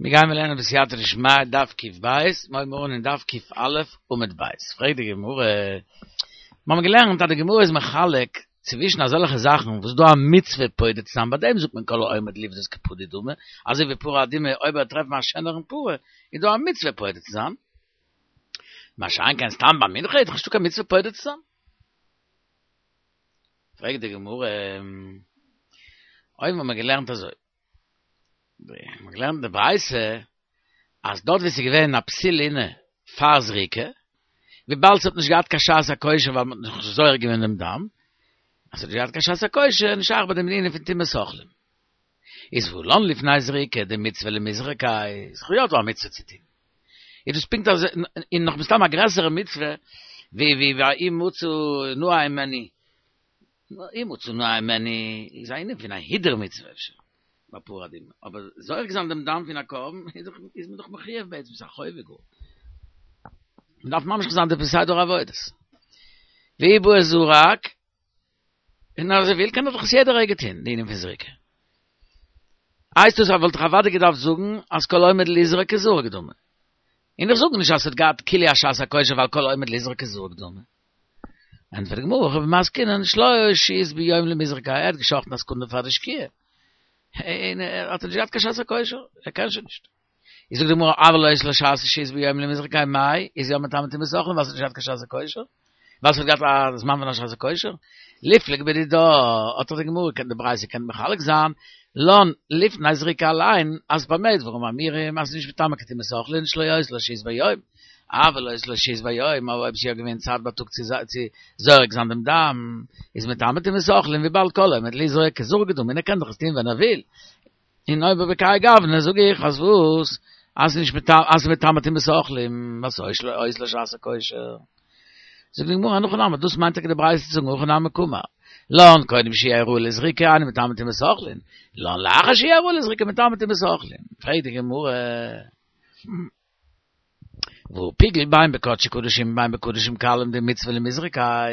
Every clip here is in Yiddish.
מיר גייען מיר לערנען בסייעתא דשמיא דף קב, מיר הייבן אן אין דף קא עמוד ב'. פרעגט די גמרא, מיר האבן געלערנט אז די גמרא איז מחלק צווישן אזעלכע זאכן וואס איז דא א מצוה פודה צו זיין, ביי דעם זאגט מען כל העומד לפדות כפדוי דמי, אזוי ווי פרה אדומה אויב ער וועט טרעפן א שענערן פרה איז דא א מצוה פודה צו זיין, מה שאין כן סתם ביי מנחה איז דאך נישטא קיין מצוה פודה צו זיין. פרעגט די גמרא, אויבן האט מען געלערנט אזוי, מ'האט געלערנט אין די ברייתא אז דארט ווי ס'איז געווען א פסול לינה פאר זריקה, וויבאלד ס'האט נישט געהאט קיין שעת הכושר ווייל מ'האט נאכנישט זורק געווען דעם דם, אז ס'האט נישט געהאט קיין שעת הכושר איז נישט שייך ביי דעם ענין פון טומאת אוכלים. איז והא לן לפני זריקה דמצוה למיזרקיה, איז דאך יא דא א מצוה צו טון. איז דאס פונקט אזוי און נאך מסתם א גרעסערע מצוה ווי ווי אם מצא נאה הימנו. אם מצא נאה הימנו איז א ענין פון א הידור מצוה אפשר ביי פרה אדומה, אבער זורק זיין דעם דם פון א קרבן איז דאך איז מען דאך מחויב בעצם, ס'איז א חובה גאר. מען דארף ממשיך זיין די סדר העבודות. ואי בעי זרק, און אז ער וויל קען ער דאך עס יעדע רגע טון, די ענין פון זריקה. הייסט דאס אז וואלט איך אוודאי געדארפט זאגן אז כל העומד לזרוק כזרוק דמי. און איך זאג נישט אז ס'האט געהאט כאילו א שעת הכושר ווייל כל העומד לזרוק כזרוק דמי. ענטפערט די גמרא, הכא במאי עסקינן שלא היתה שהות ביום למיזרקיה, ער האט געשאכטן א סעקונדע פאר די שקיעה, און ער האט נישט געהאט קיין שעת הכושר, ער קען שוין נישט. איז זאגט די גמרא, אבל היתה לו שעת שהות ביום למיזרקיה מאי, איז יא מטמא טומאת אוכלים ווייל ס'האט נישט געהאט קיין שעת הכושר? ווייל ס'האט געהאט א זמן פון א שעת הכושר? ליפלוג בדידה, האט דאך די גמרא קען די ברייתא קען מחלק זיין, לן לפני זריקה אליין, אז במה דברים אמורים אז ס'איז נישט מטמא קיין טומאת אוכלים שלא היתה לו שהות ביום, אבל היתה לו שהות ביום, אבער אויב ס'איז יא געווען צייט בייטאג צו זורק זיין דעם דם, איז מטמא טומאת אוכלים וויבאלד כל העומד לזרוק כזרוק דמי און ער קען דאך עס טון ווען ער וויל. און אויב בכהאי גוונא זאג איך אז וואס? אז נישט מטמא אז מטמא טומאת אוכלים ווייל ס'איז היתה לו שעת הכושר. זאגט די גמרא אין הכי נמי דאס מיינט טאקע די ברייתא צו זאגן הכי נמי קאמר לן קודם שיהא ראוי לזריקה אינו מטמא טומאת אוכלים לן לאחר שיהא ראוי לזריקה מטמא טומאת אוכלים. פרעגט די גמרא. והא פיגול בין בקדשי קדשים בין בקדשים קלים דמצוה למיזרקיה,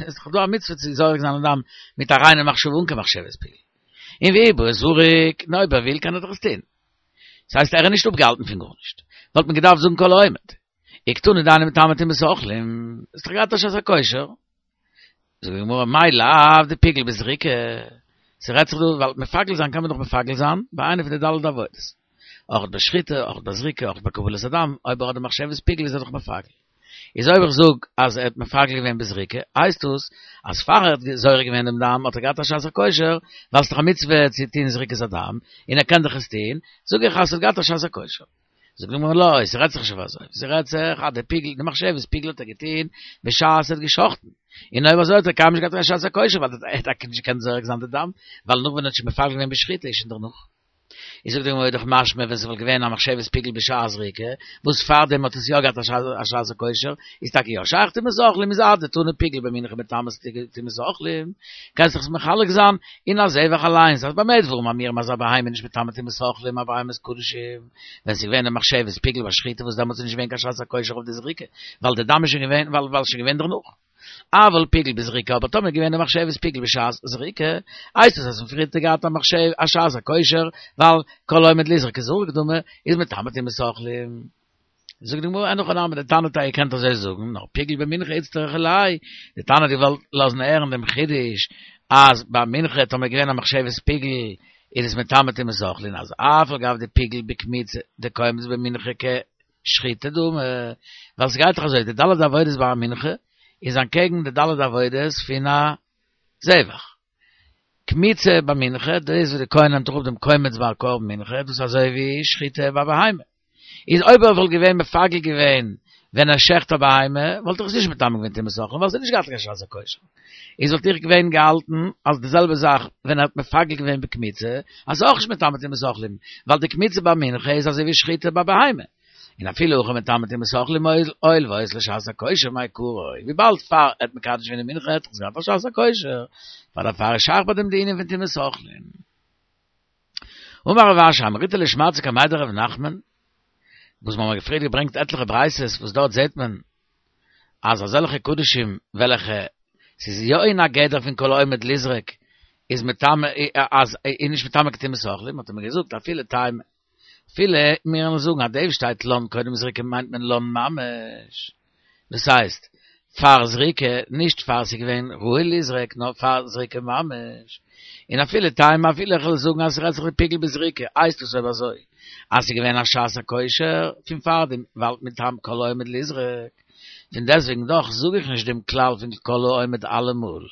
איז דאך דא א מצוה צו זורק זיין א דם מיט א ריינע מחשבה אן קיין מחשבת פיגול. און ואי בעי זריק, און אויב ער וויל קען ער דאך עס טון. דאס הייסט ער איז נישט אפגעהאלטן פון גארנישט. וואלט מען געדארפט זאגן כל העומד. וקתני דאינו מטמא טומאת אוכלים, האסט דאך געהאט א שעת הכושר. זאגט די גמרא מאי לאו דפיגל בזריקה, ס'רעדט זיך דא ווייל מפגל זיין קען מען דאך מפגל זיין ביי איינע פון די ד' עבודות, אויך ביי שחיטה, אויך ביי זריקה, אויך ביי קבלת הדם, אויב ער האט די מחשבת פיגול איז ער דאך מפגל. איז אויב איך זאג אז ער האט מפגל געווען בזריקה, הייסט דאס אז פאר ער האט זורק געווען דעם דם האט ער געהאט א שעת הכושר, ווייל ס'איז דאך א מצוה צו טון זריקת הדם, און ער קען דאך עס טון, זאג איך אז ער האט געהאט א שעת הכושר. זאגט די גמרא לא, ס'רעדט זיך נישט אויף אזוי, ס'רעדט זיך אז די פיגול, די מחשבת פיגול האט ער געטון בשעת ער האט געשחט'ן, און אויב אזוי האט ער קיינמאל נישט געהאט קיין שעת הכושר ווייל ער האט טאקע נישט געקענט זורק זיין די דם, ווייל נאך ווען ער האט שוין מפגל געווען בשחיטה איז שוין דערנאך. איז זאגט די גמרא איז דאך משמע ווען ס'וואלט געווען א מחשבת פיגול בשעת זריקה, וואס פארדעם האט עס יא געהאט א שעת הכושר, איז טאקע יא שייך טומאת אוכלים איז אדתני פיגול במנחה מטמא טומאת אוכלים, קענסט דאך עס מחלק זיין אין א זבח אליינס אז במה דברים אמורים אז א בהמה איז נישט מטמא טומאת אוכלים א בהמת קדשים, ווען ס'איז געווען די מחשבת פיגול ביי שחיטה וואס דעמאלטס איז נישט געווען קיין שעת הכושר אויף די זריקה ווייל די דם איז שוין געווען ווייל ווייל שוין געווען דערנאך. אבל פיגול בזריקה אבער טאמער איז געווען די מחשבת פיגול בשעת זריקה הייסט עס אז פון פריער האט ער געהאט א מחשב א שעת הכושר ווייל כל העומד לזרוק כזרוק דמי איז מטמא טומאת אוכלים. זאגט די גמרא אין הכי נמי די תנא האט געקענט אזוי זאגן נאר פיגול במנחה איצטריכא ליה די תנא האט געוואלט לאזן הערן דעם חידוש אז ביי מנחה טאמער איז געווען א מחשבת פיגול איז עס מטמא טומאת אוכלין אז אף על גב דפיגול בקמיצה דקומץ במנחה כשחיטה דמי ווייל ס'גייט דאך אזוי די ד' עבודות ביי א מנחה איז אנטקעגן די ד' עבודות פון א זבח. קמיצה ביי מנחה, דאס וואס די כהן נעמט אראפ דעם קומץ ביי א קרבן מנחה, דאס איז אזוי ווי שחיטה ביי בהמה. איז אויב ער וואלט געווען מפגל געווען ווען ער שעכט א בהמה, וואלט ער עס נישט מטמא געווען טומאת אוכלין, ווייל עס האט נישט געהאט קיין שעת הכושר. איז וואלט איך געווען געהאלטן אז די זעלבע זאך ווען ער האט מפגל געווען בקמיצה, אז ס'איז אויך נישט מטמא טומאת אוכלים, ווייל די קמיצה ביי מנחה איז אזוי ווי שחיטה ביי בהמה. און אפילו הכי מטמא טומאת אוכלים הואיל והיתה לו שעת הכושר מעיקרא, וויבאלד פאר ער האט מקדש געווען די מנחה האט ער געהאט א שעת הכושר, פאר דערפאר איז שייך ביי דעם די ענין פון טומאת אוכלים. אמר רב אשי אמריתה לשמעתתא קמיה דרב נחמן, וואס מ'האמער פריער געברענגט עטליכע ברייתות וואס דארט זעט מען אז אזעלכע קדשים וועלכע ס'איז יא אין א גדר פון כל העומד לזרוק איז מטמא אז איז נישט מטמא קיין טומאת אוכלים האט ער מיר געזאגט אפילו טיימא. אפילו מיר וועלן זאגן אז דאס שטייט לן קודם זריקה מיינט מען לן ממש, דאס הייסט פאר זריקה, נישט פאר ס'איז געווען ראוי ליזרק נאר פאר זריקה ממש, און אפילו תימא אפילו איך וועל זאגן אז ס'רעדט זיך דפיגול בזריקה, הייסט עס אויב אזוי אז ס'איז געווען א שעת הכושר פון פארדעם ווייל מטעם כל העומד ליזרק. פון דעסטוועגן דאך זאג איך נישט דעם כלל פון כל העומד אלעמאל.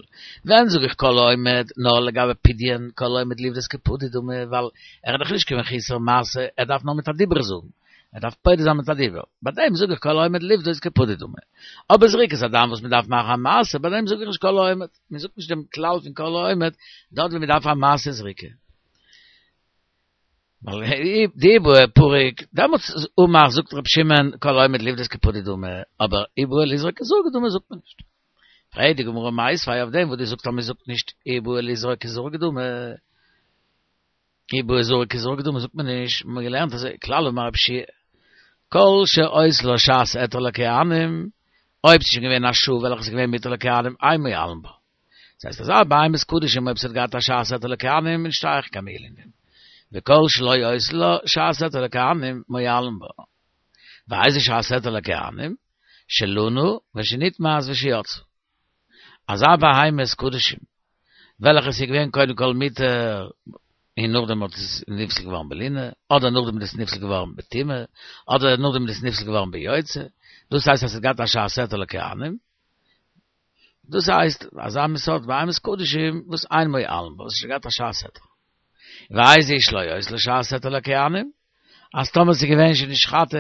ווען זאג איך כל העומד? נאר לגבי פדיון כל העומד לפדות כפדוי דמי, ווייל ער איז דאך נישט קיין מחוסר מעשה, ער דארף נאר מיט א דיבור זאגן, ער דארף פודה זיין מיט א דיבור, ביי דעם זאג איך כל העומד לפדות כפדוי דמי. אבער זריקת הדם וואס מען דארף מאכן א מעשה, ביי דעם זאג איך נישט כל העומד, מען זאגט נישט דעם כלל פון כל העומד דארט ווי מען דארף א מעשה זריקה. ווייל דאי בעי פריק, דעמאלטס אמר זאגט רבי שמעון כל העומד לפדות כפדוי דמי, אבער אי בעי לזרוק כזרוק דמי זאגט מען נישט. פרעגט די גמרא מיתיבי אויף דעם וואס דו זאגסט אז מען זאגט נישט אי בעי לזרוק כזרוק דמי, אי בעי זרוק כזרוק דמי זאגט מען נישט, מ'האט געלערנט אזוי כלל אמר רבי יהושע כל שהיתה לה שעת היתר לכהנים, אויב ס'איז שוין געווען א שעה וועלכע איז געווען מותר לכהנים אין מועלין בה. דאס הייסט אזא בהמת קדשים אויב ס'האט געהאט א שעת היתר לכהנים איז נישט שייך קיין מעילה אין דעם. וכל שלא היתה לה שעת היתר לכהנים מועלין בה. ואיזה שעת היתר לכהנים? שלנה ושנטמאת ושיצאה. אזא בהמת קדשים וועלכע ס'איז געווען קודם כל מותר און נאכדעם האט עס נפסל געווארן בלינה, אדער נאכדעם איז עס נפסל געווארן בטומאה, אדער נאכדעם איז עס נפסל געווארן ביוצא, דאס הייסט אז ס'האט געהאט א שעת היתר לכהנים. דאס הייסט אזא מין סארט בהמת קדשים וואס אין מועלין בה, וואס האט שוין געהאט א שעת היתר. ואיזו שלא היתה לה שעת היתר לכהנים, אז טאמער ס'איז געווען שנשחטה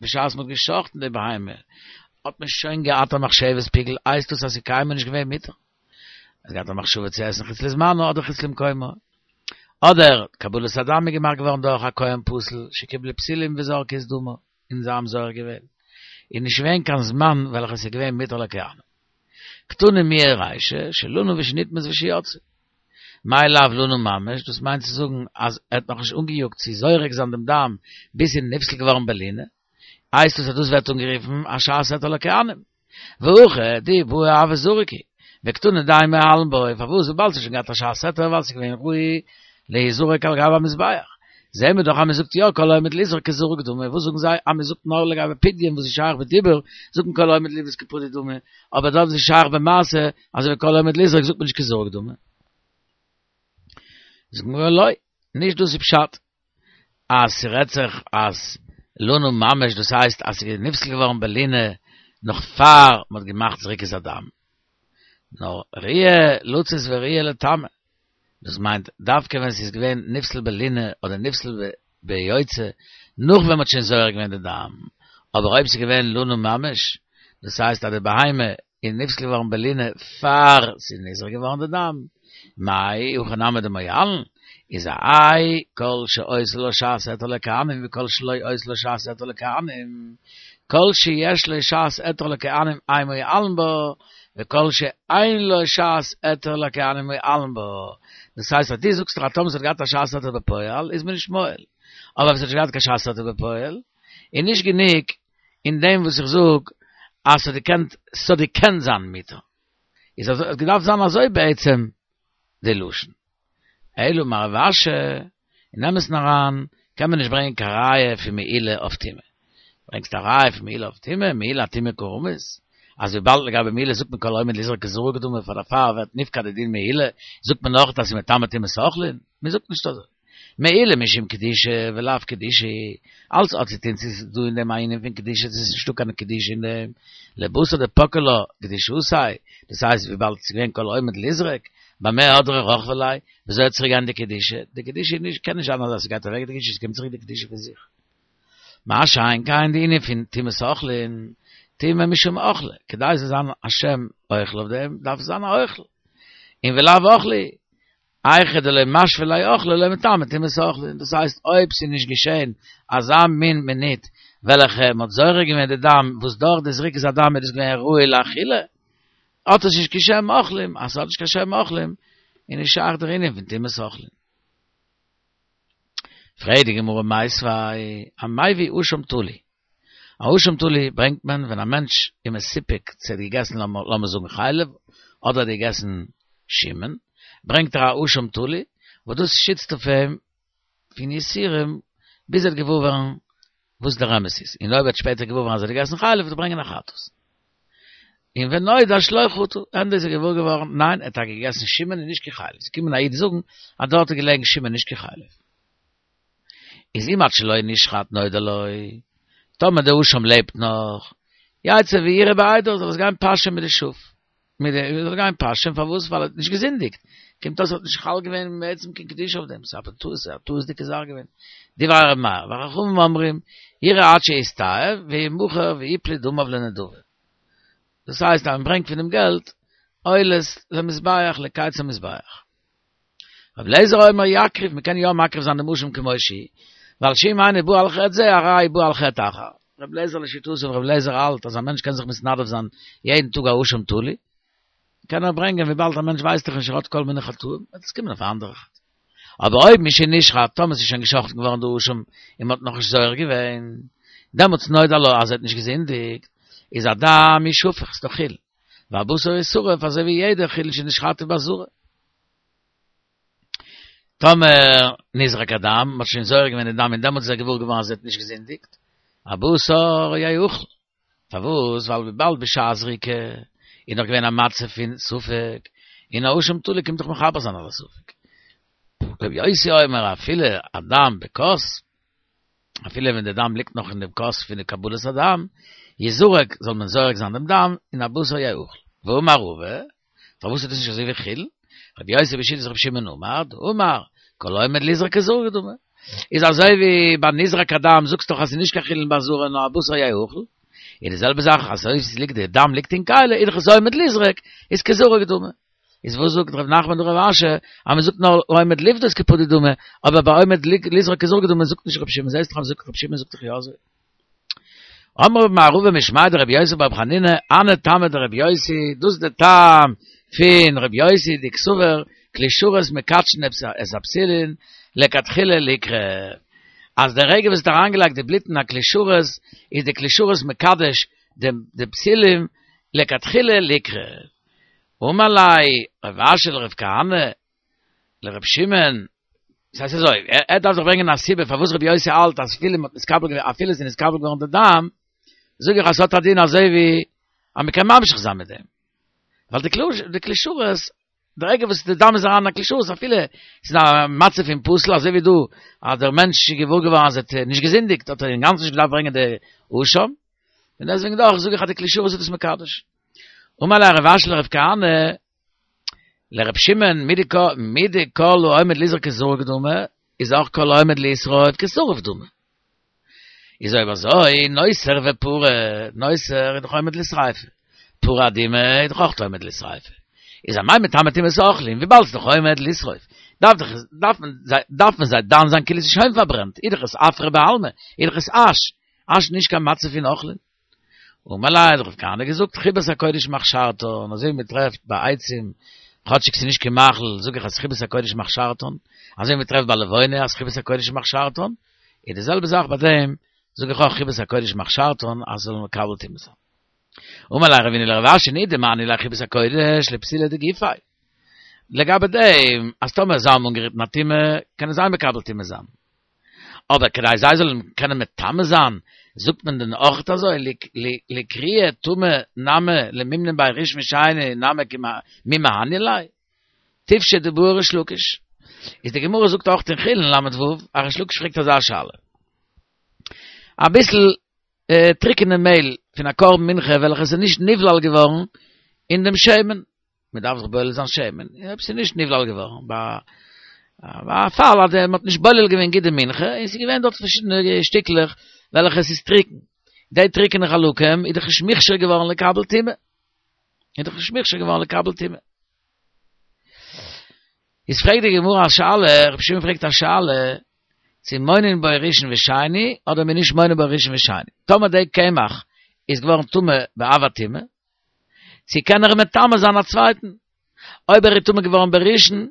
בשעת מ'האט גע'שחט'ן די בהמה, האט מען שוין געהאט א מחשבת פיגול, הייסט דאס אז ס'איז קיינמאל נישט געווען מותר. מ'האט געהאט א מחשבה צו עסן חוץ לזמנו אדער חוץ למקומו. אדער קבלת הדם איז געמאכט געווארן דורך א כהן פסול שקיבלו פסולים וזרקו את דמה. און זיי האבן זורק געווען, איז נישט געווען קיין זמן וועלכע עס איז געווען מותר לכהנים. קתני מיהא רישא, שלנה ושנטמאת ושיצאה. מאי לאו לנה ממש, דאס מיינט צו זאגן אז ער האט נאכנישט אנגעיאגט צו זורק זיין דעם דם ביז ס'איז נפסל געווארן בלינה, הייסט עס אז דאס ווערט אנגערופן א שעת היתר לכהנים. והכא דאי בעי הוה זריק הוא, וקתני דאין מועלין בו, פארוואס וויבאלד ס'האט שוין געהאט א שעת היתר ווייל ס'איז געווען ראוי להיזרק על גבי המזבח. זעהן מיר דאך אז מ'זאגט יא כל העומד לזרוק כזרוק דמי, וואס זאגן זיי אז מ'זאגט נאר לגבי פדיון וואס איז שייך בדיבור זאגט מען כל העומד לפדות כפדוי דמי, אבער דארט וואס איז שייך במעשה אזוי ווי כל העומד לזרוק זאגט מען נישט כזרוק דמי. זאגט די גמרא לא, נישט דאס איז פשט. אז ס'רעדט זיך אז לנה ממש דאס הייסט אז ס'איז נפסל געווארן בלינה נאך פאר מ'האט געמאכט זריקת הדם, נאר ראויה לצאת וראויה לטמא, דאס מיינט דווקא ווען ס'איז געווען נפסל בלינה אדער נפסל ביוצא נאך ווען מ'האט שוין זורק געווען די דם, אבער אויב ס'איז געווען לנה ממש דאס הייסט אז די בהמה איז נפסל געווארן בלינה פאר ס'איז נזרק געווארן די דם, מאי הכי נמי דמועלין, איז האי כל שהיתה לו שעת היתר לכהנים וכל שלא היתה לו שעת היתר לכהנים, כל שיש לו שעת היתר לכהנים אין מועלין בו, וכל שאין לו שעת היתר לכהנים מועלין בו. דאס הייסט אז דו זאגסט דאך אז טאמער ס'האט געהאט א שעת היתר בפועל איז מען נישט מועל, אבער אויב ס'האט נישט געהאט קיין שעת היתר בפועל איז נישט גענוג אין דעם וואס איך זאג אז ס'האט געקענט, ס'האט געקענט זיין מותר, איז אזוי, האט געדארפט זיין אזוי בעצם די לשון. אלא אמר רב אשי, אין אמת'ן אריין קען מען נישט ברענגען קיין ראיה פון מעילה אויף טומאה. ברענגסט א ראיה פון מעילה אויף טומאה, מעילה אטומאה קא רמית, אז וויבאלד לגבי מעילה זאגט מען כל העומד לזרוק כזרוק דמי פאר דערפאר ווערט נפקע די דין מעילה, זאגט מען נאך אז ס'איז מטמא טומאת אוכלין? מען זאגט נישט אזוי. מעילה משום קדושה ולאו קדושה, אלץ האט צו טון צו ס'איז דא אין דעם א ענין פון קדושה צו ס'איז נישטא קיין קדושה אין דעם, לבתר דפקעה לה קדושתיה, דאס הייסט וויבאלד ס'איז געווען כל העומד לזרוק, במה הדרא רכבא ליה, וויאזוי וועט צוריק גיין די קדושה, די קדושה איז נישט, קען נישט זיין אז ס'גייט אוועק די קדושה, ס'קומט צוריק די קדושה פון זיך. מה שאין כן די ענין פון טומאת אוכלין, טומאה משום אוכלא, כדי ס'זאל זיין א שם אוכל אויף דעם, דארף עס זיין א אוכל, און ולאו אוכלא, היכא דלא משוי ליה אוכלא לא מטמא טומאת אוכלין, דאס הייסט אויב ס'איז נישט געשען אזא מין מינוט וועלכע מ'האט זורק געווען די דם וואס דורך די זריקת הדם איז דאס געווען ראוי לאכילה, האט עס נישט קיין שם אוכלים, אז ס'האט נישט קיין שם אוכלים איז נישט שייך דער ענין פון טומאת אוכלים. פרעגט די גמרא מיתיבי, המביא אשם תלוי, א אשם תלוי ברענגט מען ווען א מענטש איז מסופק צו ער האט געגעסן לאמיר זאגן חלב אדער האט געגעסן שומן, ברענגט ער א אשם תלוי וואס דאס שיצט אויף אים פון יסורים. ביז ער וועט געוואר ווערן וואס דער אמת איז, און אויב ער וועט שפעטער געוואר ווערן אז ער האט געגעסן חלב וועט ער ברענגען א חטאת. און ונודע שלא חטא, ענדע איז ער געוואר געווארן, ניין, ער האט טאקע געגעסן שומן און נישט קיין חלב, ס'איז געקומען א איד זאגן אז דארט איז געלעגן שומן נישט קיין חלב. איז אם עד שלא נשחט נודע לו, טאמער דער אשם לעבט נאך, יצא וירעה בעדר, זאל עס גיין פאשען מיט די שאף, מיט די, זאל גיין פאשען, פארוואס? ווייל ער האט נישט געזינדיגט, קומט אויס ער האט נישט חל געווען בעצם קיין קדושה אויף דעם, ס'איז א טעות, א טעות'דיגע זאך געווען. דברי ר' מאיר, וחכמים אומרים, ירעה עד שיסתאב, וימכר ויפלו דמיו לנדבה. דאס הייסט אז מען ברענגט פון דעם געלט עולות למזבח, לקיץ המזבח. רבי אליעזר אומר יקריב, מען קען יא מקריב זיין דעם אשם כמו שהוא, ווייל שאם אינו בא על חטא זה, הרי בא על חטא אחר. רבי אליעזר לשיטתו, רבי אליעזר האלט אז א מענטש קען זיך מתנדב זיין יעדן טאג א אשם תלוי, קען ער ברענגען וויבאלד א מענטש ווייסט דאך נישט ער האט כל מיני חטאים, וועט עס קומען אויף א אנדערע חטא. אבער אויב משנשחט, טאמער ס'איז שוין געשחט'ן געווארן די אשם און מ'האט נאכנישט זורק געווען, דעמאלטס נודע לו אז ער האט נישט געזינדיגט, איז הדם ישפך, ס'איז דאך חולין, והבשר ישרף אזוי ווי יעדע חולין שנשחטו בעזרה. טאמער נזרק הדם, מ'האט שוין זורק געווען די דם און דעמאלטס איז ער געוואר געווארן אז ער האט נישט געזינדיגט, הבשר יאכל. פארוואס? ווייל וויבאלד בשעת זריקה איז נאך געווען א מצב פון ספק, און א אשם תלוי קומט דאך מכפר זיין על הספק. רבי יוסי אומר אפילו הדם בכוס, אפילו ווען די דם ליגט נאך אין דעם כוס פון די קבלת הדם, יזרק, זאל מען זורק זיין דעם דם, און הבשר יאכל. ואמר רבא, פארוואס איז דאס נישט אזוי ווי חולין? רבי יוסי בשיטת רבי שמעון אמר, דאמר, כל העומד ליזרק כזרוק דמי. איז אזוי ווי ביי נזרק הדם זאגסט דאך אז ס'איז נישט קיין חולין בעזרה נאר הבשר יאכל. איז די זעלבע זאך אז אויב ס'ליגט די דם ליגט אין כלי איז דאך עס עומד ליזרק, איז כזרוק דמי. איז וואס זאגט ר' נחמן דרב אשי אז מ'זאגט נאר עומד לפדות כפדוי דמי, אבער ביי עומד ליזרק כזרוק דמי זאגט נישט רבי שמעון, זעסט דאך אז מ'זאגט רבי שמעון זאגט דאך יא אזוי. אמר מר רבא משמיה דרבי יוסי בר חנינא, הני טעמא דרבי יוסי, דאס איז די טעם פון רבי יוסי דקסבר כלי שרת מקדשין את הפתילין לכתחילה ליקרב, אז די רגע וואס האט אריינגעלייגט די בלוט אין א כלי שרת איז די כלי שרת מקדש די פתילים לכתחילה ליקרב. אמר ליה רב אשי לרב כהנא לרב שמעון, דאס הייסט אזוי, ער דארף דאך ברענגען א סיבה פארוואס רבי יוסי האלט אז אפילו מ'האט נתקבל געווען, אפילו עס איז נתקבל געווארן די דם, זאג איך אז ס'האט א דין אזוי ווי אז מ'קען ממשיך זיין מיט דעם. ווייל די כלי די כלי שרת, די רגע וואס די דם איז אריין אין א כלי שרת אפילו ס'איז א מצב פון פסול אזוי ווי דא אז דער מענטש איז געוואר געווארן אז ער האט נישט געזינדיגט האט ער אינגאנצן נישט געדארפט ברענגען די אשם, און דעסוועגן דאך זאג איך אז די כלי שרת איז דאס מקדש. אמר ליה רב אשי לרב כהנא, לרב שמעון מדכל העומד ליזרק כזרוק דמי, איז אויך כל העומד לשרוף כשרוף דמי. איז אויב אזוי, נותר ופרה, נותר איז דאך עומד לשריפה, פרה אדומה איז דאך אויך עומד לשריפה. איז אמאי מטמא טומאת אוכלים, וויבאלד ס'איז דאך עומד לשרוף, דארף דאך, דארף מען זיי, דארף מען זיי דן זיין כאילו ס'איז שוין פארברענט, איז דאך עס עפרא בעלמא, איז דאך עס אש, אש נישט קיין מצב פון אוכלים. אמר ליה האט רב כהנא געזאגט חיבת הקודש מכשרתן, אזוי ווי מען טרעפט ביי עצים, כאטשיג ס'איז נישט קיין מאכל, זאג איך אז חיבת הקודש מכשרתן, אזוי ווי מען טרעפט ביי לבונה אז חיבת הקודש מכשרתן, איז די זעלבע זאך ביי דעם, זאג איך אויך חיבת הקודש מכשרתן אז ס'זאל מקבל טומאה זיין. אמר ליה רבינא לרב אשי מידי דמהני ליה חיבת הקודש לפתילי דגופיה. לגבי דעם אז טאמער זיי האבן אנגערירט אין א טומאה, קענען זיי מקבל טומאה זיין. אבער כדי זיי זאלן קענען מטמא זיין, זאגט מען דען אויך אזוי, לאיתקרויי טמא נמי למימנא ביה ראשון ושני נמי מי מהני ליה? תפשוט דבעי ריש לקיש. איז די גמרא זאגט אויך אין חולין ל"ו, א ריש לקיש פרעגט אזא שאלה. אביסל טריקענע מעהל פון א קרבן מנחה וועלכע איז נישט נבלל געווארן אין דעם שמן, מען דארף זיך בולל זיין שמן, אויב ס'איז נישט נבלל געווארן, ביי א פאל אז מען האט נישט בולל געווען גוט די מנחה, און ס'איז געווען דארט פארשידענע שטיקלעך וועלכע עס איז טרוקן, די טרוקענע חלקים איז דאך נישט מוכשר געווארן לקבל טומאה, איז דאך נישט מוכשר געווארן לקבל טומאה. איז פרעגט די גמרא א שאלה, רבי שמעון פרעגט א שאלה, צו מונין בו ראשון ושני, אדער מען איז נישט מונה בו ראשון ושני, טאמער די קמח איז געווארן טמא באב הטומאה, צו קען ער מטמא זיין א צווייטן? אויב ער איז טמא געווארן בראשון,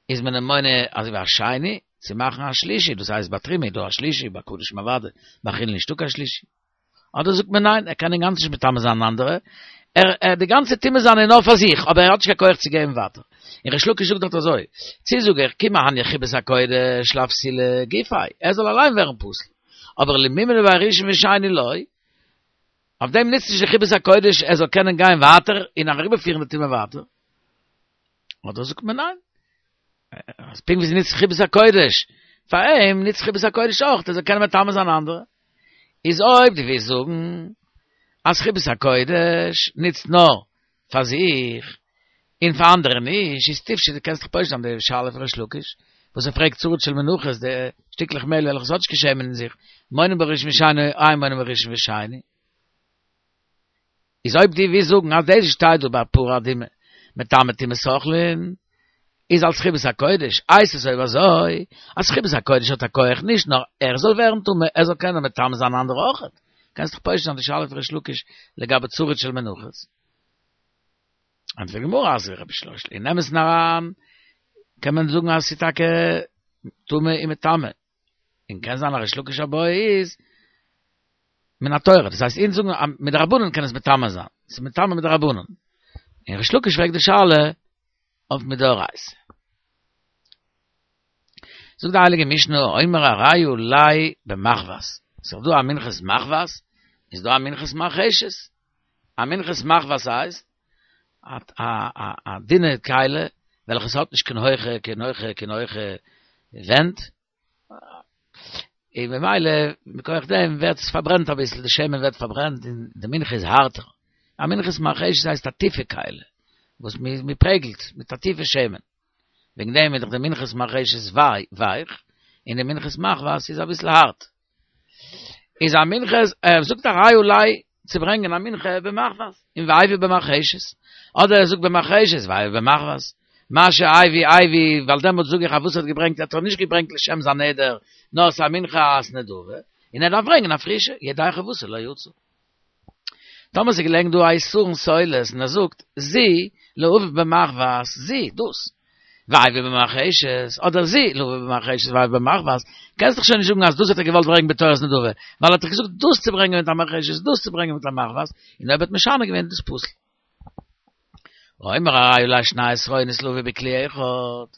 איז מען אים מונה אזוי ווי א שני, צו מאכן א שלישי, דאס הייסט ביי תרומה איז דא א שלישי, ביי קדשים אוודאי, ביי חולין נישטא קיין שלישי. אדער זאגט מען ניין, ער קען אינגאנצן נישט מטמא זיין אנדערע, ער, די גאנצע טומאה זיינע איז נאר פאר זיך, אבער ער האט נישט קיין כח צו געבן ווייטער. און ריש לקיש זאגט דארט אזוי, צי זאג איך כי מהניא חיבת הקודש לאפסולי גופיה, ער זאל אליין ווערן פסול, אבער למימנא ביה ראשון ושני לא, אויף דעם נוצט נישט די חיבת הקודש ער זאל קענען גיין ווייטער און אריבערפירן די טומאה ווייטער. אדער זאגט מען ניין, אז פונקט ווי ס'נוצט חיבת הקודש פאר אים, נוצט חיבת הקודש אויך ער זאל קענען מטמא זיין אנדערע. איז אויב דו ווילסט זאגן אז חיבת הקודש נוצט נאר פאר זיך און פאר אנדערע נישט, איז תפשוט דו קענסט דאך פושט זיין די שאלה פון ריש לקיש וואס ער פרעגט צריד של מנחות די שטיקלעך מעהל וועלכע ס'האט נישט קיין שמן אין זיך, מונין בה ראשון ושני או אין מונין בה ראשון ושני. איז אויב דו ווילסט זאגן אז דאס שטייט דא ביי פרה אדומה מטמא טומאת אוכלין איז אלס חיבת הקודש, הייסט עס אויב אזוי אז חיבת הקודש האט א כח נישט נאר ער זאל ווערן טמא ער זאל קענען מטמא זיין אנדערע אויכעט, קענסט דאך פושט זיין די שאלה פון ריש לקיש לגבי צריד של מנחות. ענטפערט די גמרא אז רבי שלוש אין אמת'ן אריין קען מען זאגן אז ס'איז טאקע טמא און מטמא, און קען זיין אז ריש לקיש בעיא איז מן התורה, דאס הייסט אונז זאגן אז מדרבנן קען עס מטמא זיין, ס'איז מטמא מדרבנן, און ריש לקיש פרעגט די שאלה אויף מדאורייתא. זאגט די הייליגע משנה האומר הרי עלי במחבת, ס'איז דא א מנחת מחבת, איז דא א מנחת מרחשת, א מנחת מחבת הייסט א א א דינע כלי וועלכע ס'האט נישט קיין הויכע קיין הויכע קיין הויכע ווענט, און ממילא מכח דעם ווערט עס פארברענט אביסל, די שמן ווערט פארברענט און די מנחה איז הארטער. א מנחת מרחשת הייסט א טיפע כלי וואס מ'פרעגלט מיט א טיפע שמן. וועגן דעם איז דאך די מנחת מרחשת ווייך, און די מנחת מחבת איז אביסל הארט. איז א מנחת, ער זאגט הרי עלי צו ברענגען א מנחה במחבת, און והביא במרחשת, אדער ער זאגט במרחשת והביא במחבת, מה שהביא הביא, ווייל דעמאלטס זאג איך אז וואס ער האט געברענגט האט ער נישט געברענגט לשם זיין נדר, נאר ס'איז א מנחת נדבה, און ער דארף ברענגען א פרישע, ידי חובתו לא יצא. טאמער ס'איז געלעגן דא א עשרון סולת און ער זאגט זו להביא במחבת זו דאס והביא במרחשת אדער זו להביא במרחשת והביא במחבת קענסט דאך שוין נישט זאגן אז דאס האט ער געוואלט ברענגען בתורת נדבה ווייל ער האט דאך געזאגט דאס צו ברענגען מיט א מרחשת דאס צו ברענגען מיט א מחבת און אויב ער האט משנה געווען איז דאס פסול. האומר הרי עלי שני עשרונות להביא בכלי אחד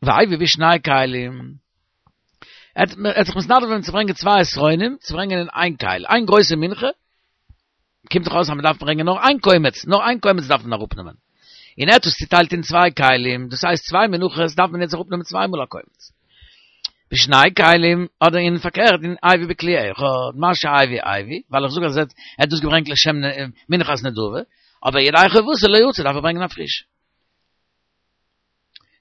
והביא בשני כלים ער האט זיך מתנדב געווען צו ברענגען צוויי עשרונים, צו ברענגען אין איין כלי, איין גרויסע מנחה, קומט דאך אויס אז מען דארף ברענגען נאר איין קומץ, נאר איין קומץ דארף מען אראפנעמען. און ער האט עס צוטיילט אין צוויי כלים, דאס הייסט צוויי מנחות דארף מען יעצט אראפנעמען צוויי מאל א קומץ. בשני כלים, אדער אין פארקערט, אין הביא בכלי אחד, מה שהביא הביא, ווייל איך זאג אז ער האט דאס געברענגט לשם מנחת נדבה, אבער ידי חובתו לא יצא דארף ער ברענגען א פרישע.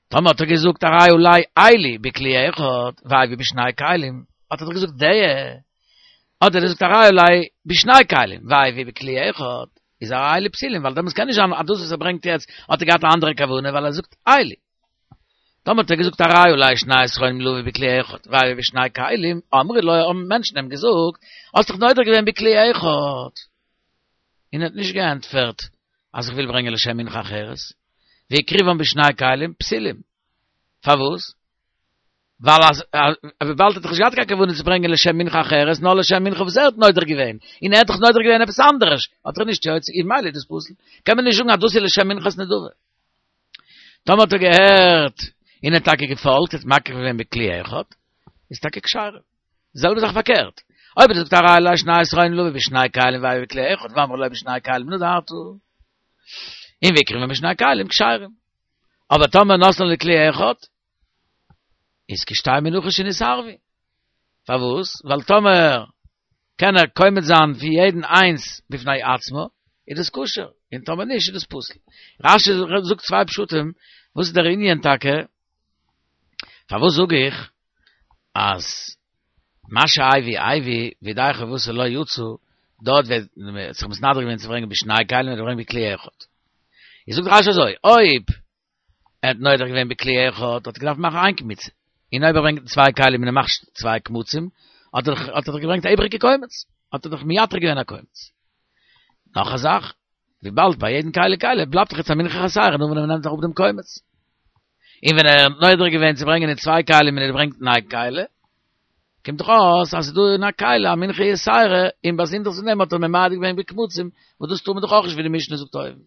טאמער האט ער געזאגט הרי עלי אלו בכלי אחד והביא בשני כלים, האט ער דאך געזאגט די, אדער ער זאגט הרי עלי בשני כלים והביא בכלי אחד, איז הרי אלו פסולים, ווייל דעמאלטס קען נישט זיין אז דאס וואס ער ברענגט יעצט האט ער געהאט א אנדערע כוונה ווייל ער זאגט אלו. טאמער האט ער געזאגט הרי עלי שני עשרונים להביא בכלי אחד והביא בשני כלים, אמרו לו האבן מענטשן אים געזאגט, האסט דאך נודר געווען בכלי אחד. און ער האט נישט געענטפערט אז איך וויל ברענגען לשם מנחה אחרת, והקריבן בשני כלים פסולים. פארוואס? ווייל אז וויבאלד ער האט דאך נישט געהאט קיין כוונה צו ברענגען לשם מנחה אחרת, נאר לשם מנחה וואס ער האט נודר געווען, און ער האט דאך נודר געווען עפעס אנדערש, האט ער נישט יוצא, און ממילא איז דאס פסול. קען מען נישט זאגן אז דאס איז לשם מנחת נדבה. טאמער האט ער געהערט און ער האט טאקע געפאלגט, האט מקריב געווען בכלי אחד, איז טאקע כשרה. די זעלבע זאך פארקערט, אויב ער זאגט הרי עלי שני עשרונים להביא בשני כלים והביא בכלי אחד ואמרו לו בשני כלים נדרת, און והקריבן בשני כלים כשרים. אבער טאמער נתנן לכלי אחד, איז כשתי מנחות שנתערבו. פארוואס? ווייל טאמער קען ער קומץ זיין פון יעדן איינס בפני עצמו, איז דאס כשר, און טאמער נישט איז דאס פסול. רש"י זאגט צוויי פשטים, וואס איז דער ענין טאקע? פארוואס זאג איך אז מה שהביא הביא וידי חובתו לא יצא, דארט ווען מ'האט זיך מתנדב געווען צו ברענגען בשני כלים און געברענגט בכלי אחד. איז זאגט רש"י אזוי, אויב ער האט נודר געווען בכלי אחד האט ער געדארפט מאכן איין קמיצה, און אויב ער ברענגט צוויי כלים און ער מאכט צוויי קמצים, האט ער האט ער דאך געברענגט א איבעריגע קומץ, האט ער דאך מייתר געווען א קומץ. נאך א זאך, וויבאלד ביי יעדן כלי וכלי בלייבט דאך יעצט א מנחה חסרה נאר ווען ער נעמט אראפ דעם קומץ. און ווען ער האט נודר געווען צו ברענגען אין צוויי כלים און ער ברענגט אין איין כלי, קומט דאך אויס אז ס'איז דא אין א כלי א מנחה יתירה, און באזונדערס פון דעם האט ער ממעט געווען בקמצים, וואס דאס טאר מען דאך אויך נישט ווי די משנה זאגט אויבן.